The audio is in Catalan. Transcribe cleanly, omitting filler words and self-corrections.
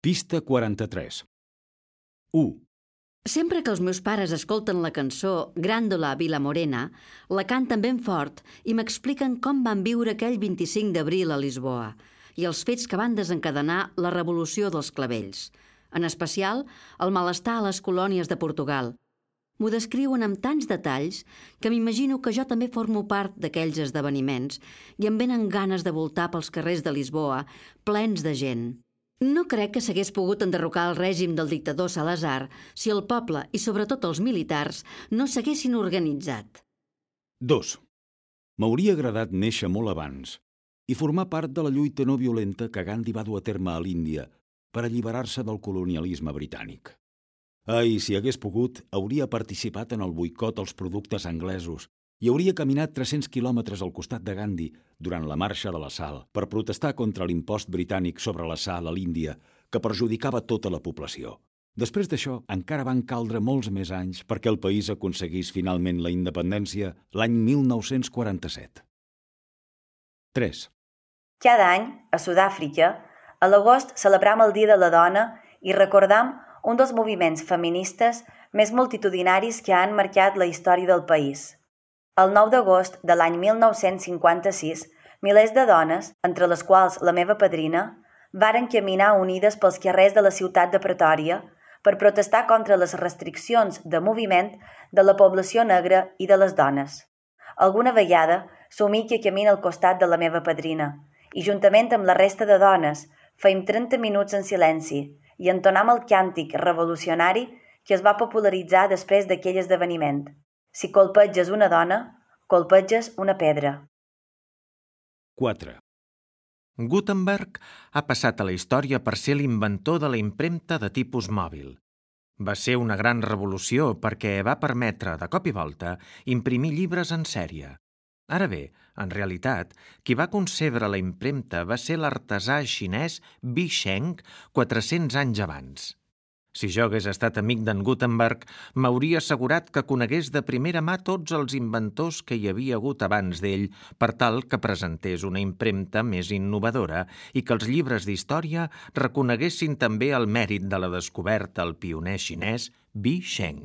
Pista 43. 1. Sempre que els meus pares escolten la cançó Gràndola Vilamorena, la canten ben fort i m'expliquen com van viure aquell 25 d'abril a Lisboa i els fets que van desencadenar la revolució dels clavells, en especial el malestar a les colònies de Portugal. M'ho descriuen amb tants detalls que m'imagino que jo també formo part d'aquells esdeveniments i em venen ganes de voltar pels carrers de Lisboa plens de gent. No crec que s'hagués pogut enderrocar el règim del dictador Salazar si el poble i sobretot els militars no s'haguessin organitzat. 2. M'hauria agradat néixer molt abans i formar part de la lluita no violenta que Gandhi va dur a terme a l'Índia per alliberar-se del colonialisme britànic. Ai, si hagués pogut, hauria participat en el boicot als productes anglesos i hauria caminat 300 quilòmetres al costat de Gandhi durant la marxa de la sal per protestar contra l'impost britànic sobre la sal a l'Índia que perjudicava tota la població. Després d'això, encara van caldre molts més anys perquè el país aconseguís finalment la independència l'any 1947. 3. Cada any, a Sud-àfrica, a l'agost celebram el Dia de la Dona i recordam un dels moviments feministes més multitudinaris que han marcat la història del país. El 9 d'agost de l'any 1956, milers de dones, entre les quals la meva padrina, varen caminar unides pels carrers de la ciutat de Pretòria per protestar contra les restriccions de moviment de la població negra i de les dones. Alguna vegada somia que camina al costat de la meva padrina i, juntament amb la resta de dones, feim 30 minuts en silenci i entonam el càntic revolucionari que es va popularitzar després d'aquell esdeveniment. Si colpeges una dona, colpeges una pedra. 4. Gutenberg ha passat a la història per ser l'inventor de la impremta de tipus mòbil. Va ser una gran revolució perquè va permetre, de cop i volta, imprimir llibres en sèrie. Ara bé, en realitat, qui va concebre la impremta va ser l'artesà xinès Bi Sheng 400 anys abans. Si jo hagués estat amic d'en Gutenberg, m'hauria assegurat que conegués de primera mà tots els inventors que hi havia hagut abans d'ell per tal que presentés una impremta més innovadora i que els llibres d'història reconeguessin també el mèrit de la descoberta al pioner xinès Bi Sheng.